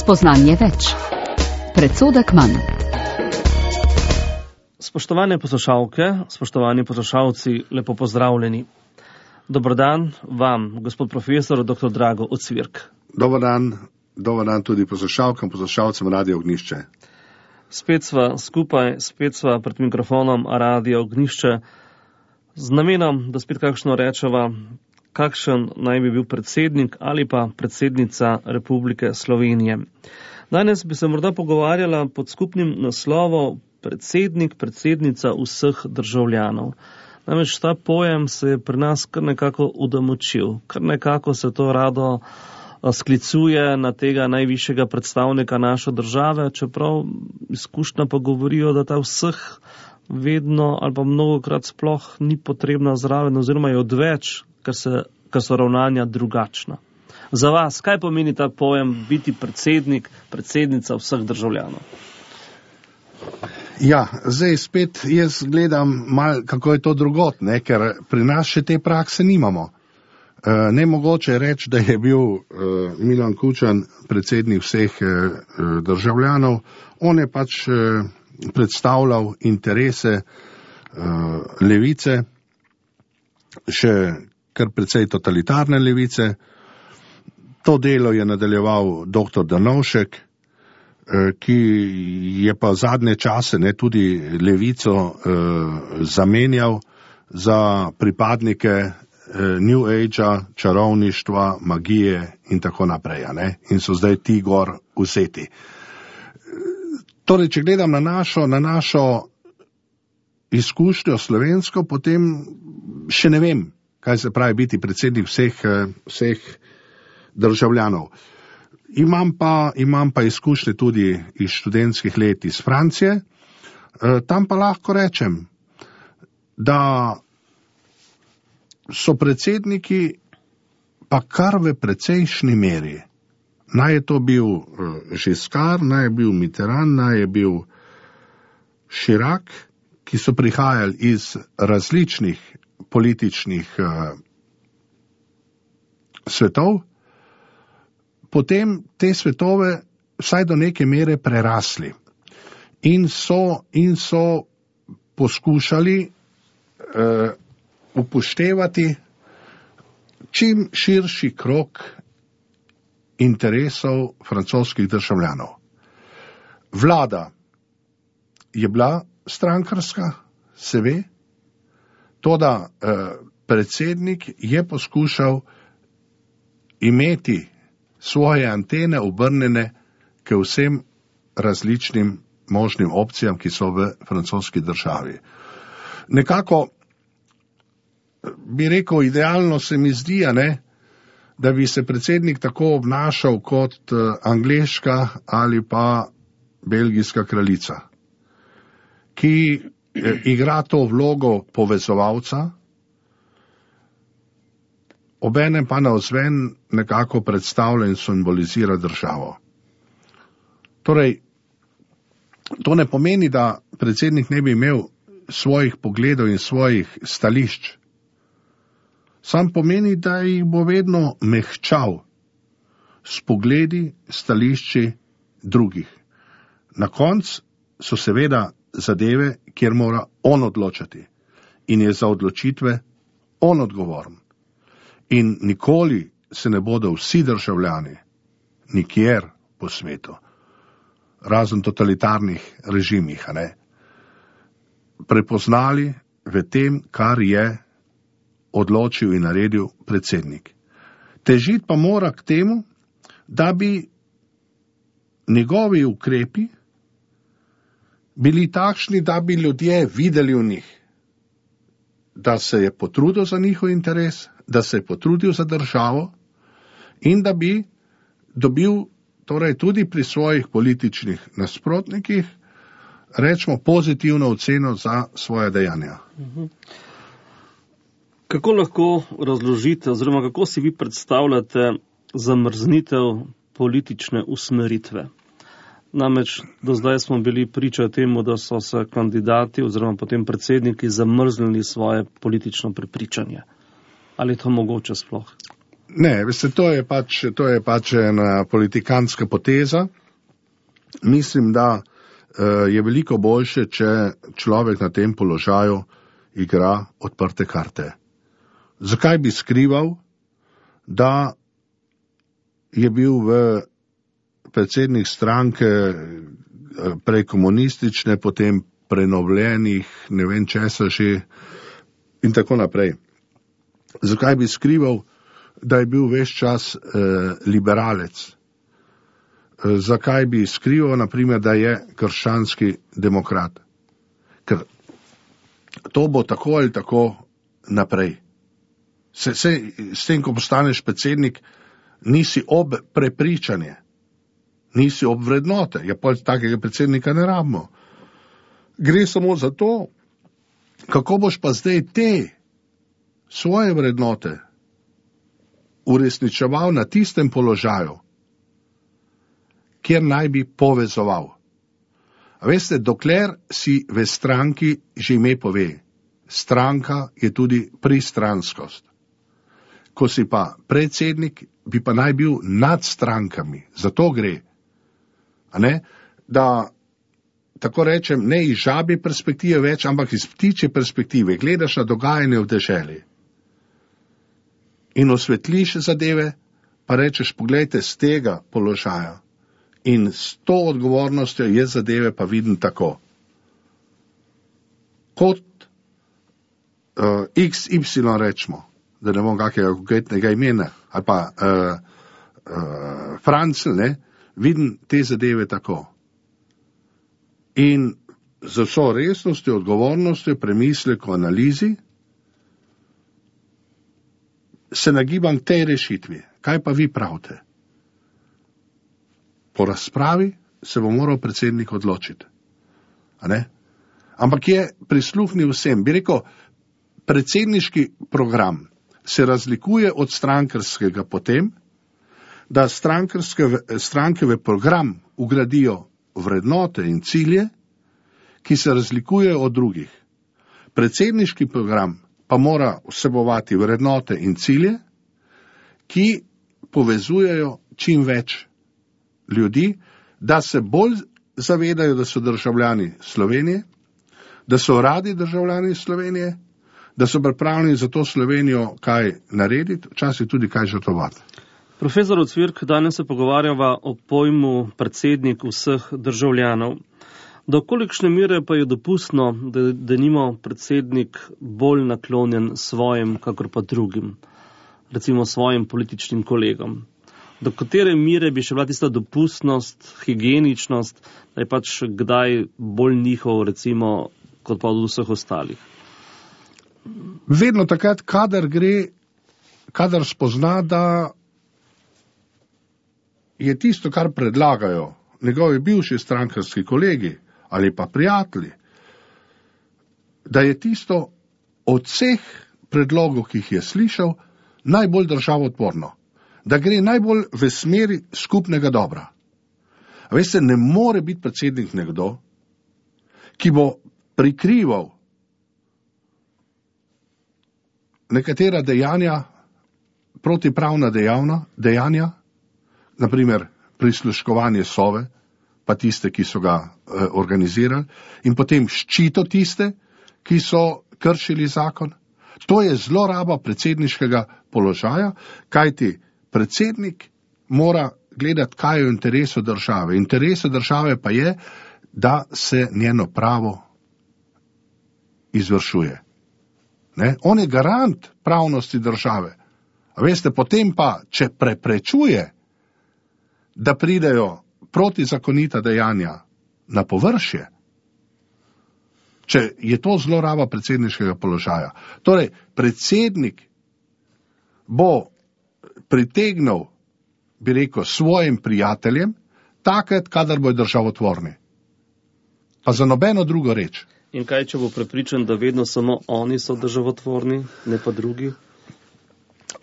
Spoznanje več. Predsodek manj. Spoštovane poslušalke, spoštovani poslušalci, lepo pozdravljeni. Dober dan vam, gospod profesor dr. Drago Ocvirk. Dober dan tudi poslušalkam, poslušalcem Radio Ognjišče. Spet sva skupaj, spet sva pred mikrofonom Radio Ognjišče z namenom, da spet kakšno rečeva, kakšen naj bi bil predsednik ali pa predsednica Republike Slovenije. Danes bi se morda pogovarjala pod skupnim naslovom predsednik, predsednica vseh državljanov. Namreč ta pojem se je pri nas kar nekako udomačil, kar nekako se to rado sklicuje na tega najvišjega predstavnika naše države, čeprav izkušnja pa govorijo, da ta vseh vedno ali pa mnogokrat sploh ni potrebna zraven oziroma je odveč, ker so ravnanja drugačna. Za vas, kaj pomeni ta pojem biti predsednik, predsednica vseh državljanov? Ja, zdaj spet jaz gledam malo, kako je to drugot, ker pri nas še te prakse nimamo. Nemogoče je reči, da je bil Milan Kučan predsednik vseh državljanov. On je pač predstavljal interese levice, še kar precej totalitarne levice. To delo je nadaljeval dr. Drnovšek, ki je pa zadnje čase tudi levico zamenjal za pripadnike New Age-a, čarovništva, magije in tako naprej. In so zdaj ti gor vzeti. Torej, če gledam na našo izkušnjo slovensko, potem še ne vem, kaj se pravi biti predsednik vseh državljanov. Imam pa izkušnje tudi iz študentskih let iz Francije. Tam pa lahko rečem, da so predsedniki pa kar v precejšnji meri. Naj je to bil Giscard, naj je bil Mitterrand, naj je bil Chirac, ki so prihajali iz različnih političnih svetov, potem te svetove vsaj do neke mere prerasli in so poskušali upoštevati čim širši krog interesov francoskih državljanov. Vlada je bila strankarska, se ve, toda predsednik je poskušal imeti svoje antene obrnjene k vsem različnim možnim opcijam, ki so v francoski državi. Nekako bi rekel, idealno se mi zdi, da bi se predsednik tako obnašal kot angleška ali pa belgijska kraljica, ki igra to vlogo povezovalca, obenem pa navzven nekako predstavlja in simbolizira državo. Torej, to ne pomeni, da predsednik ne bi imel svojih pogledov in svojih stališč. Sam pomeni, da jih bo vedno mehčal s pogledi, stališči drugih. Na koncu so seveda zadeve, kjer mora on odločati in je za odločitve on odgovoren. In nikoli se ne bodo vsi državljani, nikjer po svetu, razen totalitarnih režimih, prepoznali v tem, kar je odločil in naredil predsednik. Težiti pa mora k temu, da bi njegovi ukrepi bili takšni, da bi ljudje videli v njih, da se je potrudil za njihov interes, da se je potrudil za državo in da bi dobil torej tudi pri svojih političnih nasprotnikih, rečemo, pozitivno oceno za svoje dejanja. Kako lahko razložite oziroma kako si vi predstavljate zamrznitev politične usmeritve? Namreč do zdaj smo bili priča temu, da so se kandidati oziroma potem predsedniki zamrznili svoje politično prepričanje. Ali je to mogoče sploh? Ne, veste, to je pač ena politikanska poteza. mislim, da je veliko boljše, če človek na tem položaju igra odprte karte. Zakaj bi skrival, da je bil predsednik stranke prej komunistične, potem prenovljenih, ne vem česa že in tako naprej. Zakaj bi skrival, da je bil ves čas liberalec? Zakaj bi skrival, naprimer, da je krščanski demokrat? Ker to bo tako ali tako naprej. S tem, ko postaneš predsednik, nisi ob prepričanje, nisi ob vrednote. Ja, pa takega predsednika ne rabimo. Gre samo za to, kako boš pa zdaj te svoje vrednote uresničeval na tistem položaju, kjer naj bi povezoval. A veste, dokler si v stranki, že ime pove, stranka je tudi pristranskost. Ko si pa predsednik, bi pa naj bil nad strankami. Za to gre. A ne? Da, tako rečem, ne iz žabje perspektive več, ampak iz ptičje perspektive. Gledaš na dogajanje v deželi in osvetliš zadeve, pa rečeš, poglejte, z tega položaja in s to odgovornostjo je zadeve pa vidim tako. Kot XY rečemo, da ne bom kakega konkretnega imena, ali pa Francl, ne, vidim te zadeve tako. In z vso resnostjo, odgovornostjo, premisleko, analizi, se nagibam k tej rešitvi. Kaj pa vi pravite? Po razpravi se bo moral predsednik odločiti. A ne? Ampak je prisluhnil vsem. Bi rekel, predsedniški program se razlikuje od strankarskega potem, da stranke v program ugradijo vrednote in cilje, ki se razlikujejo od drugih. Predsedniški program pa mora vsebovati vrednote in cilje, ki povezujejo čim več ljudi, da se bolj zavedajo, da so državljani Slovenije, da so radi državljani Slovenije, da so pripravljeni za to Slovenijo kaj narediti, včasih tudi kaj žrtvovati. Profesor Ocvirk, danes se pogovarjava o pojmu predsednik vseh državljanov. Do kolikšne mere pa je dopustno, da nima predsednik bolj naklonjen svojim, kakor pa drugim, recimo svojim političnim kolegom? Do katere mere bi še bila tista dopustnost, higieničnost, da je pač kdaj bolj njihov, recimo, kot pa od vseh ostalih? Vedno takrat, kadar spozna, da je tisto, kar predlagajo njegovi bivši strankarski kolegi ali pa prijatelji, da je tisto od vseh predlogov, ki jih je slišal, najbolj državotvorno, da gre najbolj v smeri skupnega dobra. A veste, ne more biti predsednik nekdo, ki bo prikrival nekatera dejanja, protipravna dejanja, naprimer prisluškovanje Sove, pa tiste, ki so ga organizirali, in potem ščito tiste, ki so kršili zakon. To je zloraba predsedniškega položaja, kajti predsednik mora gledati, kaj je v interesu države. Interesu države pa je, da se njeno pravo izvršuje. Ne? On je garant pravnosti države. A veste, potem pa, če preprečuje, da pridejo protizakonita dejanja na površje, če je to zloraba predsedniškega položaja. Torej, predsednik bo pritegnil, bi rekel, svojim prijateljem, takrat, kadar bojo državotvorni. Pa za nobeno drugo reč. In kaj, če bo prepričan, da vedno samo oni so državotvorni, ne pa drugi?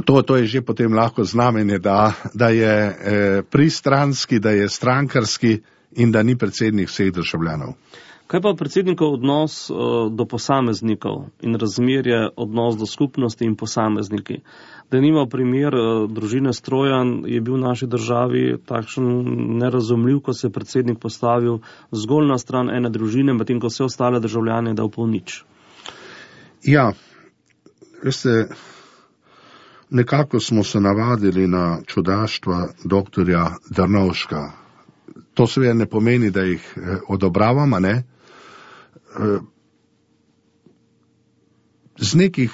To je že potem lahko znamenje, da je pristranski, da je strankarski in da ni predsednik vseh državljanov. Kaj pa predsednikov odnos do posameznikov in razmerje odnos do skupnosti in posamezniki? Da nima primer družine Strojan je bil v naši državi takšen nerazumljiv, ko se je predsednik postavil zgolj na stran ene družine, medtem ko vse ostale državljane dal pol nič. Ja, veste, nekako smo se navadili na čudaštva doktorja Drnovška. To seveda ne pomeni, da jih odobravamo, ne? Z nekih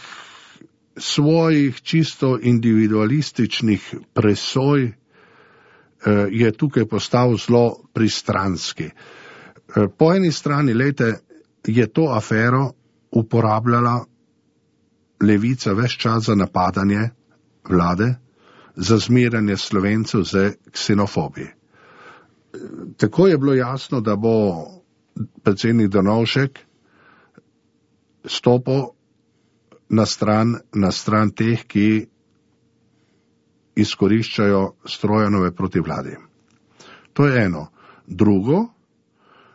svojih čisto individualističnih presoj je tukaj postal zelo pristranski. Po eni strani, lejte, je to afero uporabljala levica ves čas za napadanje vlade, za zmerjanje Slovencev z ksenofobiji. Tako je bilo jasno, da bo predsednik Drnovšek stopil na stran teh, ki izkoriščajo Strojanove proti vladi. To je eno. Drugo,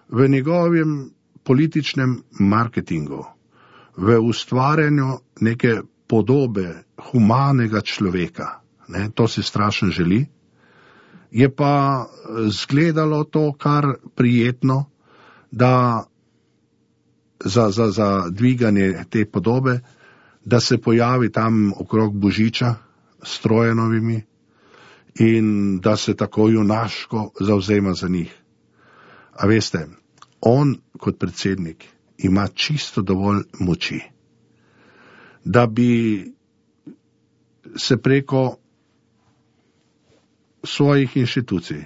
v njegovem političnem marketingu, v ustvarjanju neke podobe humanega človeka, ne, to si strašno želi, je pa zgledalo to kar prijetno, da za dviganje te podobe, da se pojavi tam okrog Božiča s Trojanovimi in da se tako junaško zavzema za njih. A veste, on kot predsednik ima čisto dovolj moči, da bi se preko svojih inštitucij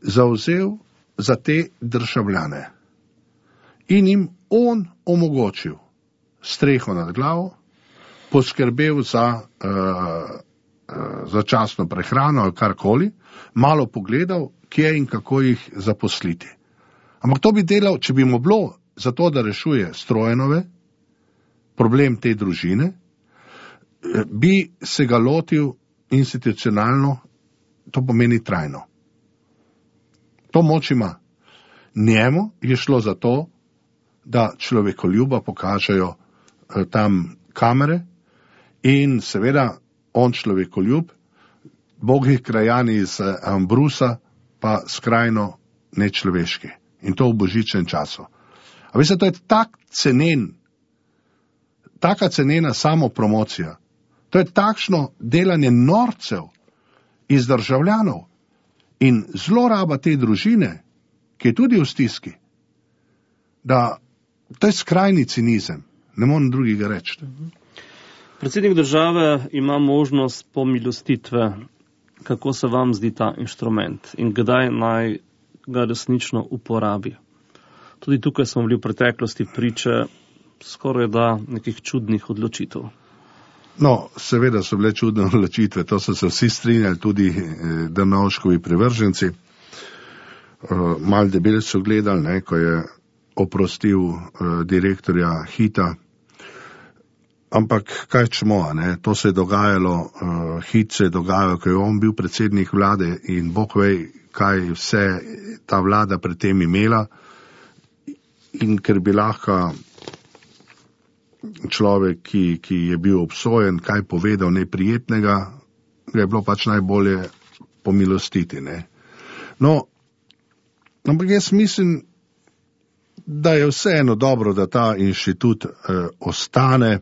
zavzel za te državljane in jim on omogočil streho nad glavo, poskrbel za začasno prehrano ali karkoli, malo pogledal, kje in kako jih zaposliti. Ampak to bi delal, če bi mu bilo za to, da rešuje Strojanove, problem te družine, bi se ga lotil institucionalno, to pomeni trajno. To moč ima. Njemu je šlo za to, da človekoljuba pokažejo tam kamere in seveda on človekoljub, bogi krajani iz Ambrusa pa skrajno nečloveški. In to v božičnem času. A veste, to je taka cenena samopromocija. To je takšno delanje norcev iz državljanov in zloraba te družine, ki je tudi v stiski, da to je skrajni cinizem. Ne morem drugega reči. Predsednik države ima možnost pomilostitve. Kako se vam zdi ta inštrument in kdaj naj ga resnično uporabi? Tudi tukaj smo bili v preteklosti priče skoraj da nekih čudnih odločitev. No, seveda so bile čudne odločitve, to so se vsi strinjali, tudi Drnovškovi privrženci. Mal debel so gledali, ne, ko je oprostil direktorja Hita. Ampak kaj čemo, ne, to se je dogajalo, Hit se je dogajalo, ko je on bil predsednik vlade in Bog ve, kaj vse ta vlada pred tem imela. In ker bi lahko človek, ki je bil obsojen, kaj povedal neprijetnega, ga je bilo pač najbolje pomilostiti. Ne. No, ampak jaz mislim, da je vseeno dobro, da ta inštitut ostane,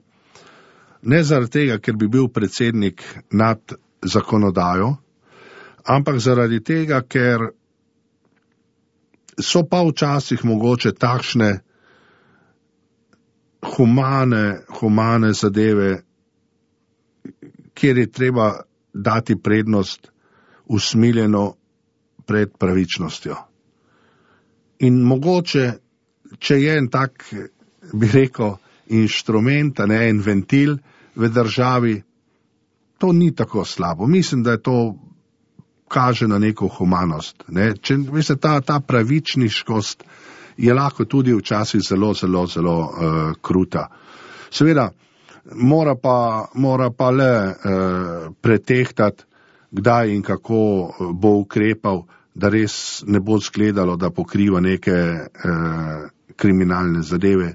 ne zaradi tega, ker bi bil predsednik nad zakonodajo, ampak zaradi tega, ker so pa včasih mogoče takšne humane zadeve, kjer je treba dati prednost usmiljeno pred pravičnostjo. In mogoče, če je en tak, bi rekel, inštrument, ne en ventil v državi, to ni tako slabo. Mislim, da je to kaže na neko humanost. Ne? Če, veste, ta pravičniškost je lahko tudi včasih zelo kruta. Seveda, mora pa le pretehtati, kdaj in kako bo ukrepal, da res ne bo zgledalo, da pokriva neke kriminalne zadeve,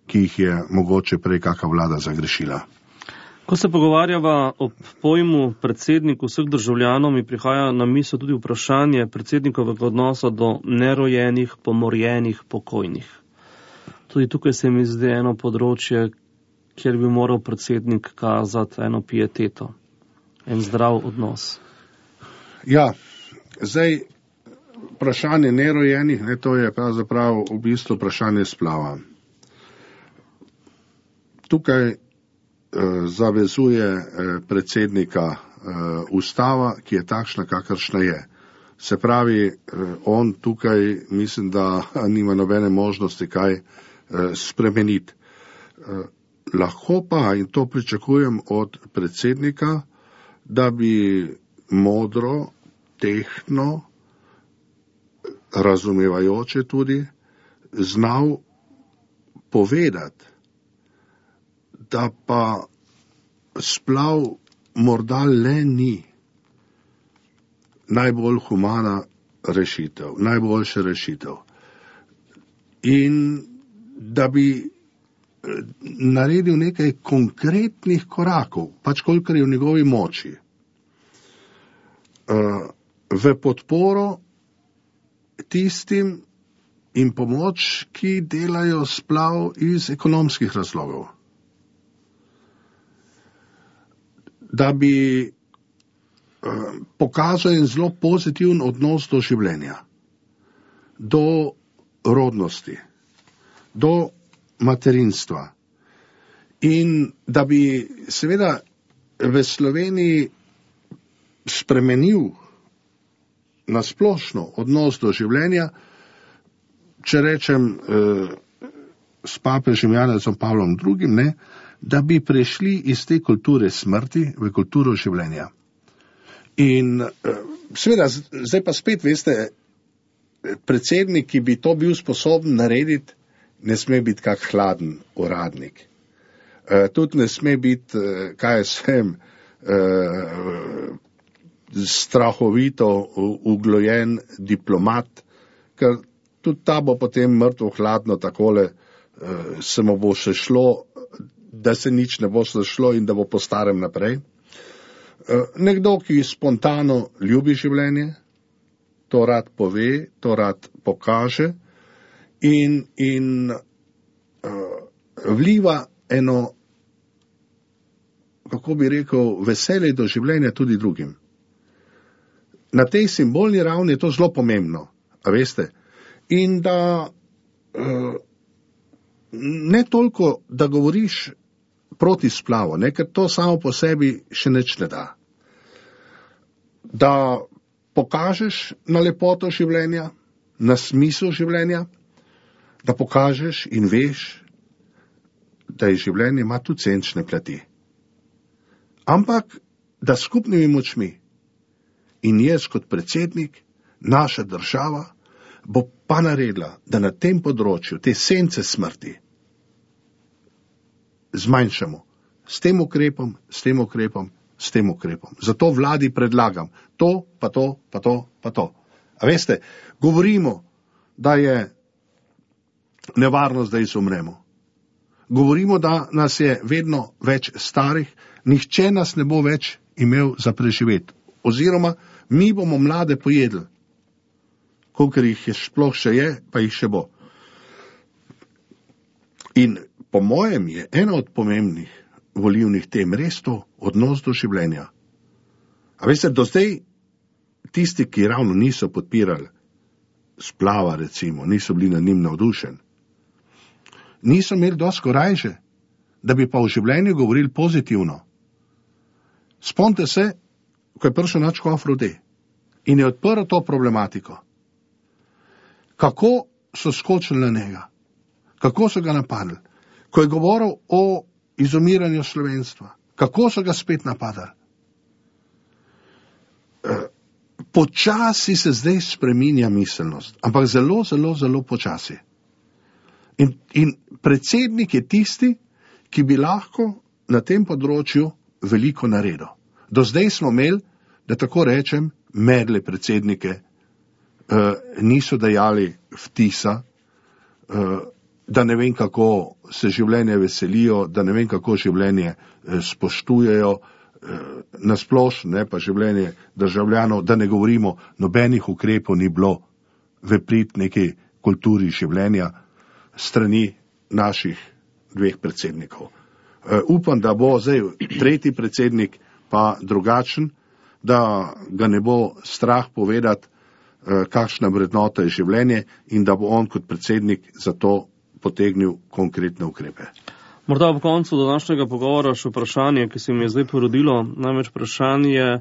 ki jih je mogoče prej kakšna vlada zagrešila. Ko se pogovarjava o pojmu predsednik vseh državljanov, mi prihaja na misel tudi vprašanje predsednikovega odnosa do nerojenih, pomorjenih, pokojnih. Tudi tukaj se mi zdi eno področje, kjer bi moral predsednik kazati eno pieteto, en zdrav odnos. Ja, zdaj vprašanje nerojenih, to je pravzaprav v bistvu vprašanje splava. Tukaj zavezuje predsednika ustava, ki je takšna, kakršna je. Se pravi, on tukaj mislim, da nima nobene možnosti kaj spremeniti. Lahko pa, in to pričakujem od predsednika, da bi modro, tehtno, razumevajoče tudi, znal povedati, da pa splav morda le ni najbolj humana rešitev, najboljša rešitev. In da bi naredil nekaj konkretnih korakov, pač kolikor je v njegovi moči, v podporo tistim in pomoč, ki delajo splav iz ekonomskih razlogov. Da bi pokazal en zelo pozitiven odnos do življenja, do rodnosti, do materinstva. In da bi seveda v Sloveniji spremenil nasplošno odnos do življenja, če rečem s papežem Janezom Pavlom II, da bi prešli iz te kulture smrti v kulturo življenja. In seveda, zdaj pa spet, veste, predsednik, ki bi to bil sposoben narediti, ne sme biti kak hladen uradnik. Tudi ne sme biti, strahovito uglojen diplomat, ker tudi ta bo potem mrtvo hladno takole, se mu bo še šlo, da se nič ne bo šlo in da bo po starem naprej. Nekdo, ki spontano ljubi življenje, to rad pove, to rad pokaže in vliva eno, kako bi rekel, veselje do življenja tudi drugim. Na tej simbolni ravni je to zelo pomembno, a veste. In da ne toliko, da govoriš proti splavu, ker to samo po sebi še nič ne da. Da pokažeš na lepoto življenja, na smisel življenja, da pokažeš in veš, da je življenje ima tudi senčne plati. Ampak, da skupnimi močmi in jaz kot predsednik, naša država, bo pa naredila, da na tem področju te sence smrti zmanjšamo s tem ukrepom, s tem ukrepom, s tem ukrepom. Zato vladi predlagam to, pa to, pa to, pa to. A veste, govorimo, da je nevarnost, da izumremo. Govorimo, da nas je vedno več starih, nihče nas ne bo več imel za preživeti. Oziroma, mi bomo mlade pojedli. Kolikor jih je sploh še je, pa jih še bo. In po mojem je ena od pomembnih volilnih tem res to odnos do življenja. A veste, do zdaj tisti, ki ravno niso podpirali splava, recimo, niso bili nad njim navdušeni, niso imeli dosti korajže, da bi pa v življenju govorili pozitivno. Spomnite se, ko je prišel naš škof Rode in je odprl to problematiko. Kako so skočili na njega, kako so ga napadli, ko je govoril o izumiranju slovenstva, kako so ga spet napadali. Počasi se zdaj spreminja miselnost, ampak zelo, zelo, zelo počasi. In predsednik je tisti, ki bi lahko na tem področju veliko naredil. Do zdaj smo imeli, da tako rečem, medle predsednike, niso dajali vtisa da ne vem, kako se življenje veselijo, da ne vem, kako življenje spoštujejo, nasplošno, pa življenje državljanov, da ne govorimo, nobenih ukrepov ni bilo v prid neki kulturi življenja strani naših dveh predsednikov. Upam, da bo zdaj tretji predsednik pa drugačen, da ga ne bo strah povedati, kakšna vrednota je življenje in da bo on kot predsednik za to potegnil konkretne ukrepe. Morda ob koncu današnjega pogovora še vprašanje, ki se mi je zdaj porodilo, namreč vprašanje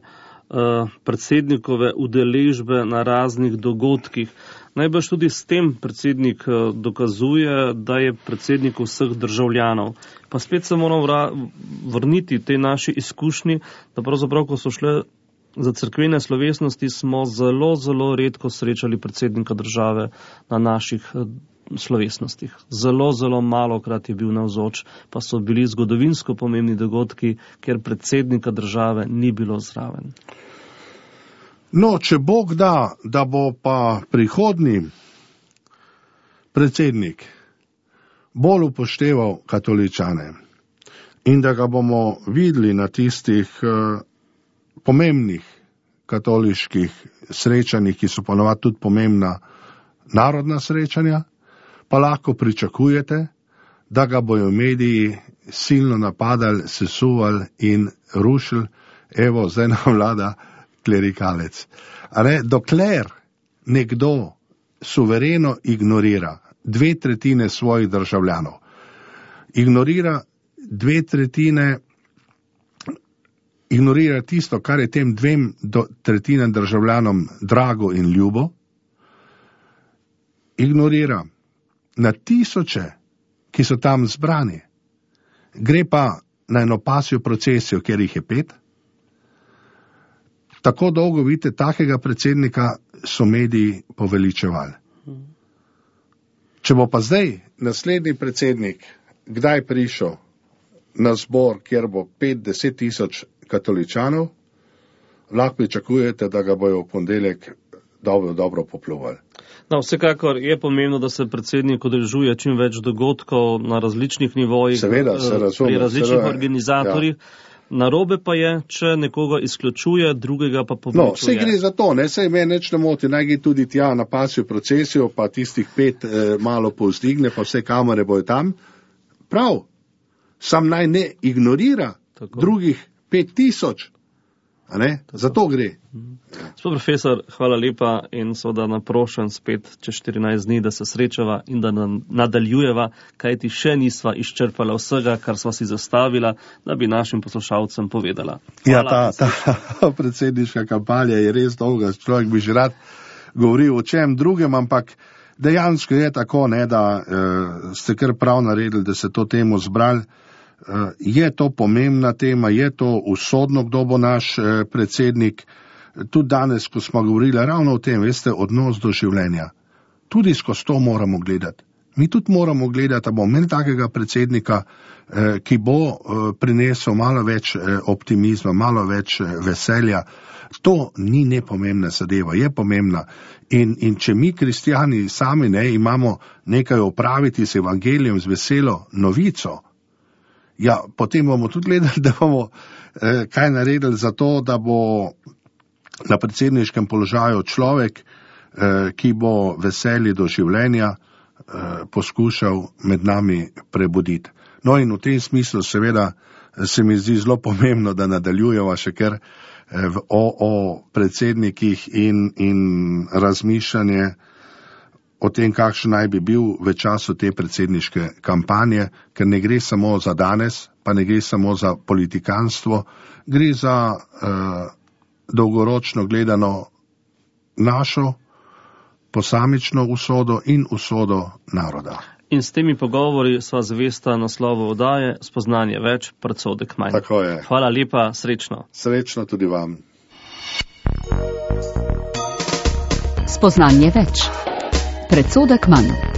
predsednikove udeležbe na raznih dogodkih. Najbrž tudi s tem predsednik dokazuje, da je predsednik vseh državljanov. Pa spet se moramo vrniti tej naši izkušnji, da pravzaprav, ko so šle za cerkvene slovesnosti, smo zelo, zelo redko srečali predsednika države na naših slovesnostih. Zelo, zelo malokrat je bil navzoč, pa so bili zgodovinsko pomembni dogodki, kjer predsednika države ni bilo zraven. No, če Bog da, da bo pa prihodnji predsednik bolj upošteval katoličane in da ga bomo videli na tistih pomembnih katoliških srečanjih, ki so ponovadi tudi pomembna narodna srečanja, pa lahko pričakujete, da ga bojo mediji silno napadali, sesuvali in rušili. Evo, zdaj nam vlada klerikalec. Dokler nekdo suvereno ignorira 2/3 svojih državljanov, ignorira 2/3, ignorira tisto, kar je tem 2/3 državljanom drago in ljubo, ignorira na tisoče, ki so tam zbrani, gre pa na eno pasjo procesijo, kjer jih je 5, tako dolgo vidite, takega predsednika so mediji poveličevali. Če bo pa zdaj naslednji predsednik kdaj prišel na zbor, kjer bo 5-10 tisoč katoličanov, lahko pričakujete, da ga bojo v ponedeljek dobro popljuvali. No, vsekakor je pomembno, da se predsednik udeležuje čim več dogodkov na različnih nivojih, seveda, se razume, pri različnih seveda, organizatorjih. Ja. Narobe pa je, če nekoga izključuje, drugega pa povečuje. No, vse gre za to, sej me nič ne moti, naj gre tudi tja na pasjo procesijo, pa tistih 5 malo povzdigne, pa vse kamere bojo tam. Prav, sam naj ne ignorira drugih 5000. Za to gre. Gospod profesor, hvala lepa in seveda naprošen spet čez 14 dni, da se srečava in da nadaljujeva, kajti še nisva izčrpala vsega, kar sva si zastavila, da bi našim poslušalcem povedala. Hvala. Ja, ta predsedniška kampanja je res dolga, človek bi že rad govoril o čem drugem, ampak dejansko je tako, da ste kar prav naredili, da se to temo zbrali. Je to pomembna tema, je to usodno, kdo bo naš predsednik. Tudi danes, ko smo govorili ravno o tem, veste, odnos do življenja. Tudi skozi to moramo gledati. Mi tudi moramo gledati, da bomo imeli takega predsednika, ki bo prinesel malo več optimizma, malo več veselja. To ni nepomembna zadeva, je pomembna. In če mi, kristjani, sami imamo nekaj opraviti z evangelijem, z veselo novico, ja, potem bomo tudi gledali, da bomo kaj naredili za to, da bo na predsedniškem položaju človek, ki bo veselje do življenja poskušal med nami prebuditi. No in v tem smislu seveda se mi zdi zelo pomembno, da nadaljujeva še kar o predsednikih in razmišljanje o tem, kakšen naj bi bil v času te predsedniške kampanje, ker ne gre samo za danes, pa ne gre samo za politikanstvo, gre za dolgoročno gledano našo posamično usodo in usodo naroda. In s temi pogovori sva zvesta naslovu oddaje Spoznanje več, predsodek manj. Tako je. Hvala lepa, srečno. Srečno tudi vam. Spoznanje več, predsodek manj.